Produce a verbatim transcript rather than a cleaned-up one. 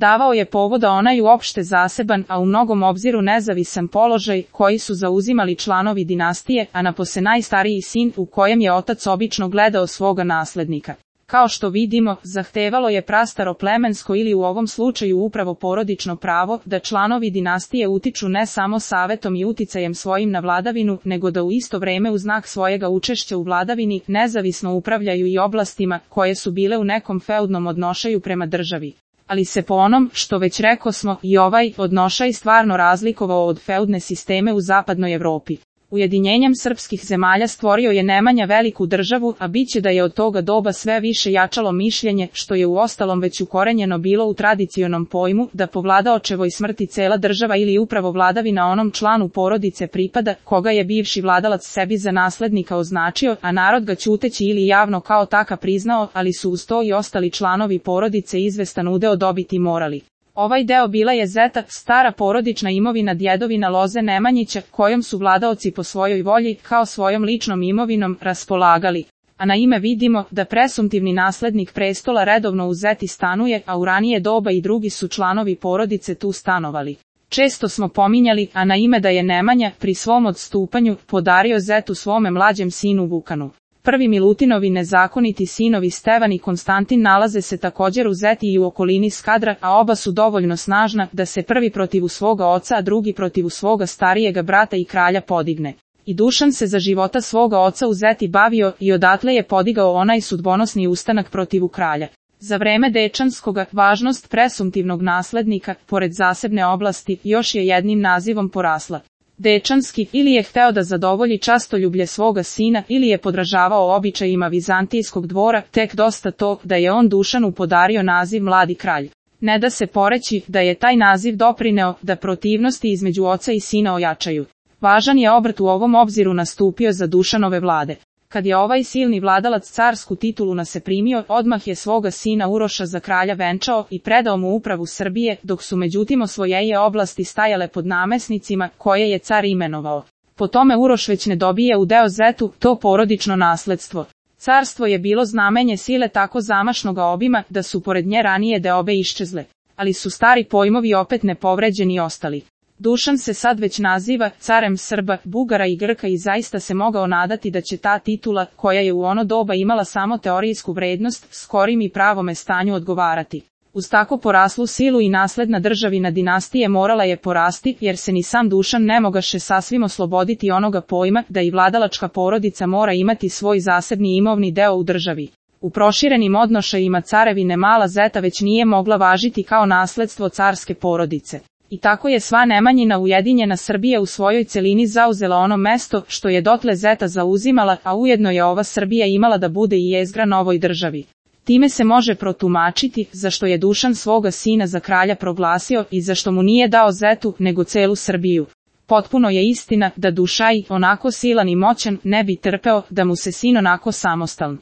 Davao je povoda onaj uopšte zaseban, a u mnogom obziru nezavisan položaj koji su zauzimali članovi dinastije, a napose najstariji sin u kojem je otac obično gledao svoga naslednika. Kao što vidimo, zahtevalo je prastaro plemensko ili u ovom slučaju upravo porodično pravo da članovi dinastije utiču ne samo savetom i uticajem svojim na vladavinu, nego da u isto vreme u znak svojega učešća u vladavini nezavisno upravljaju i oblastima koje su bile u nekom feudnom odnošaju prema državi. Ali se po onom, što već rekosmo, i ovaj odnošaj stvarno razlikovao od feudne sisteme u zapadnoj Evropi. Ujedinjenjem srpskih zemalja stvorio je Nemanja veliku državu, a biće da je od toga doba sve više jačalo mišljenje, što je uostalom već ukorenjeno bilo u tradicionom pojmu, da po vladaočevoj smrti cela država ili upravo vladavina onom članu porodice pripada, koga je bivši vladalac sebi za naslednika označio, a narod ga ćuteći ili javno kao taka priznao, ali su uz to i ostali članovi porodice izvestan udeo dobiti morali. Ovaj deo bila je zeta, stara porodična imovina djedovina loze Nemanjića, kojom su vladaoci po svojoj volji, kao svojom ličnom imovinom, raspolagali. A na ime vidimo da presumptivni naslednik prestola redovno u zeti stanuje, a u ranije doba i drugi su članovi porodice tu stanovali. Često smo pominjali, a na ime da je Nemanja, pri svom odstupanju, podario zetu svome mlađem sinu Vukanu. Prvi Milutinovi nezakoniti sinovi Stevan i Konstantin nalaze se također u zeti i u okolini Skadra, a oba su dovoljno snažna da se prvi protiv svoga oca, a drugi protiv svoga starijega brata i kralja podigne. I Dušan se za života svoga oca u zeti bavio i odatle je podigao onaj sudbonosni ustanak protiv kralja. Za vreme Dečanskoga, važnost presumptivnog naslednika, pored zasebne oblasti, još je jednim nazivom porasla. Dečanski, ili je hteo da zadovolji častoljublje svoga sina, ili je podražavao običajima vizantijskog dvora, tek dosta to da je on Dušanu podario naziv mladi kralj. Ne da se poreći da je taj naziv doprineo da protivnosti između oca i sina ojačaju. Važan je obrt u ovom obziru nastupio za Dušanove vlade. Kad je ovaj silni vladalac carsku titulu naseprimio, odmah je svoga sina Uroša za kralja venčao i predao mu upravu Srbije, dok su međutim osvojeje oblasti stajale pod namesnicima koje je car imenovao. Po tome Uroš već ne dobije u deo zetu to porodično nasledstvo. Carstvo je bilo znamenje sile tako zamašnoga obima da su pored nje ranije deobe iščezle, ali su stari pojmovi opet nepovređeni ostali. Dušan se sad već naziva carem Srba, Bugara i Grka i zaista se mogao nadati da će ta titula, koja je u ono doba imala samo teorijsku vrednost, skorim i pravome stanju odgovarati. Uz tako poraslu silu i nasledna državina dinastije morala je porasti, jer se ni sam Dušan ne mogaše sasvim osloboditi onoga pojma da i vladalačka porodica mora imati svoj zasebni imovni deo u državi. U proširenim odnošajima carevine mala zeta već nije mogla važiti kao nasledstvo carske porodice. I tako je sva Nemanjina ujedinjena Srbija u svojoj celini zauzela ono mesto što je dotle zeta zauzimala, a ujedno je ova Srbija imala da bude i jezgra novoj državi. Time se može protumačiti zašto je Dušan svoga sina za kralja proglasio i zašto mu nije dao zetu nego celu Srbiju. Potpuno je istina da Dušaj, onako silan i moćan, ne bi trpeo da mu se sin onako samostaln.